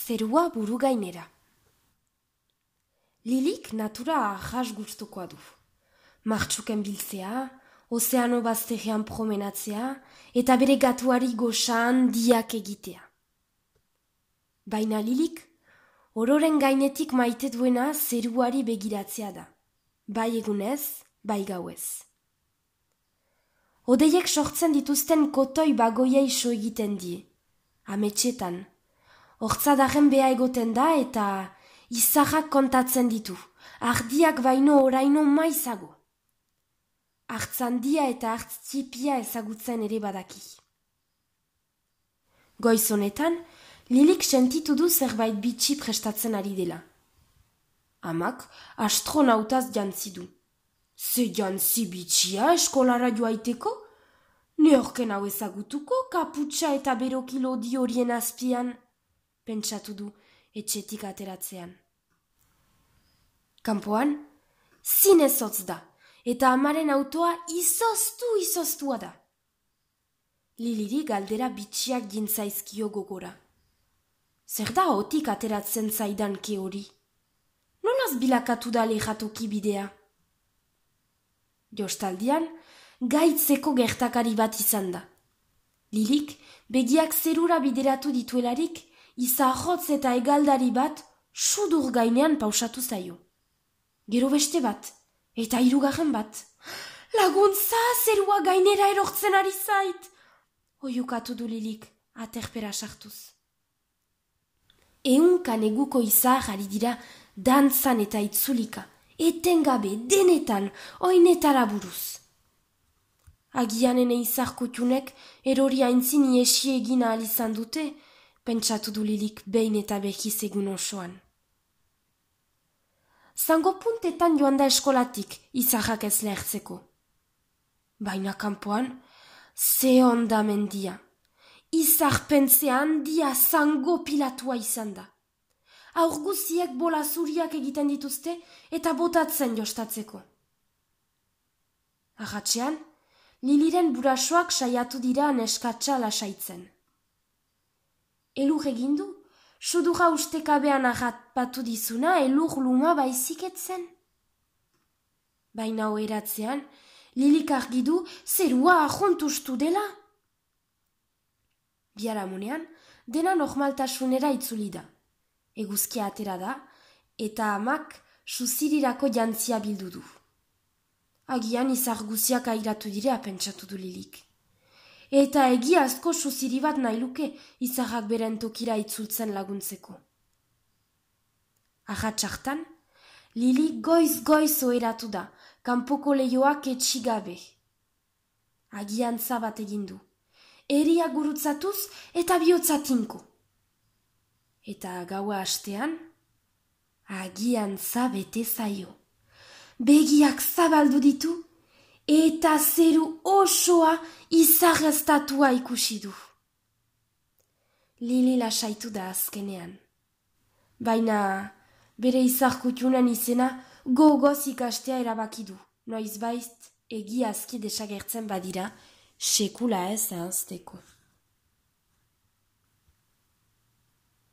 Zerua buru gainera. Lilik natura jas gustukoa du. Martxuken biltzea, ozeano bazterrean promenatzea, eta bere gatuari goxan diak egitea. Baina Lilik, ororen gainetik maite duena zeruari begiratzea da. Bai egunez, bai gauez. Odeiek sortzen dituzten kotoi bagoiei so egiten die. Ametxetan. Hortzadaren beha egoten da eta izarrak kontatzen ditu. Ardiak baino oraino maizago. Artzandia eta artzipia ezagutzen ere badaki. Goiz honetan, Lilik sentitu du zerbait bitxi prestatzen ari dela. Amak astronautaz jantzi du. Ze jantzi bitxia eskolara joaiteko? Neorken hau ezagutuko kaputxa eta berokilo di horien azpian, pentsatu du etxetik ateratzean. Kanpoan, zinez hotz da, eta amaren autoa izoztua da. Liliri galdera bitxiak gintzaizkio gogora. Zer da otik ateratzen zaidan ke hori? Nolaz bilakatu da lehatoki bidea? Jostaldian, gaitzeko gertakari bat izan da. Lilik, begiak zerura bideratu dituelarik, izahotz eta egaldari bat sudur gainean pausatu zaio. Gero beste bat, eta hirugarren bat. Laguntza, zerua gainera erortzen ari zait! Oiukatu du Lilik, aterpera sartuz. Ehunka neguko izar ari dira dantzan eta itzulika, etengabe, denetan, oinetara buruz. Agian ene izarkutxunek erori aintzin iesi egin ahal izan dute, pentsatu du Lilik behin eta behiz egun osoan. Zango puntetan joan da eskolatik izarrak ez lehertzeko. Baina kanpoan, ze onda mendia. Izarpentzea handia zango pilatua izan da. Aurguziek bola zuriak egiten dituzte eta botatzen jostatzeko. Ahatxean, Liliren burasoak saiatu dira neskatsa lasaitzen. Elur egindu, sudura ustekabean ahatpatu dizuna elur luma baiziketzen. Baina oeratzean, Lilik argidu zerua ahontustu dela. Biharamunean, dena normaltasunera itzuli da. Eguzkia atera da, eta amak suzirirako jantzia bildu du. Agian izar guziak airatu direa pentsatu du Lilik. Eta egiazko suziri bat nahi luke izarrak beren tokira itzultzen laguntzeko. Ahatxartan, Lilik goiz oeratu da, kanpoko lehioak etxigabe. Agian zabat egindu. Eria gurutzatuz eta bihotzatinko. Eta gaua hastean, agian zabete zaio. Begiak zabaldu ditu, eta zeru osoa izarreztatua ikusi du. Lili lasaitu da azkenean. Baina bere izarkutxunen izena gogoz ikastea erabaki du. Noizbait egiazki desagertzen badira, sekula ez ahazteko.